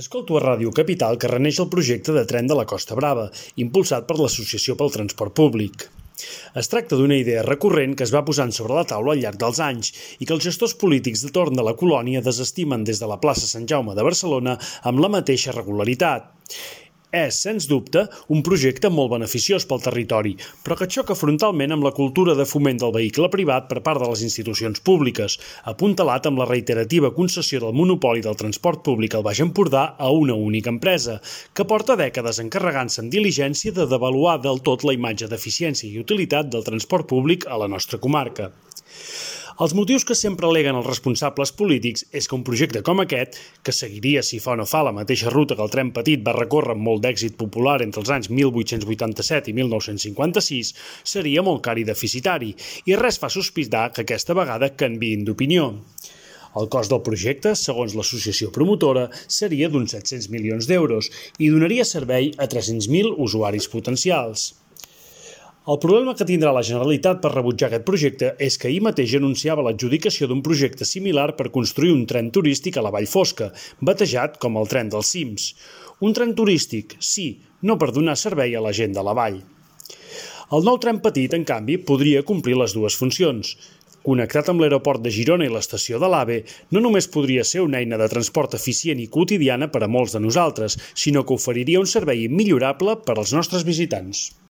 Escolto a Ràdio Capital que reneix el projecte de tren de la Costa Brava, impulsat per l'Associació pel Transport Públic. Es tracta d'una idea recurrent que es va posant sobre la taula al llarg dels anys i que els gestors polítics de torn de la colònia desestimen des de la plaça Sant Jaume de Barcelona amb la mateixa regularitat. És, sens dubte, un projecte molt beneficiós pel territori, però que xoca frontalment amb la cultura de foment del vehicle privat per part de les institucions públiques, apuntalat amb la reiterativa concessió del monopoli del transport públic al Baix Empordà a una única empresa, que porta dècades encarregant-se en diligència de devaluar del tot la imatge d'eficiència i utilitat del transport públic a la nostra comarca. Els motius que sempre aleguen els responsables polítics és que un projecte com aquest, que seguiria si fa o no fa la mateixa ruta que el tren petit va recórrer amb molt d'èxit popular entre els anys 1887 i 1956, seria molt car i deficitari, i res fa sospitar que aquesta vegada canviïn d'opinió. El cost del projecte, segons l'associació promotora, seria d'uns 700 milions d'euros i donaria servei a 300.000 usuaris potencials. El problema que tindrà la Generalitat per rebutjar aquest projecte és que ahir mateix anunciava l'adjudicació d'un projecte similar per construir un tren turístic a la Vall Fosca, batejat com el tren dels cims. Un tren turístic, sí, no per donar servei a la gent de la vall. El nou tren petit, en canvi, podria complir les dues funcions. Connectat amb l'aeroport de Girona i l'estació de l'AVE, no només podria ser una eina de transport eficient i quotidiana per a molts de nosaltres, sinó que oferiria un servei immillorable per als nostres visitants.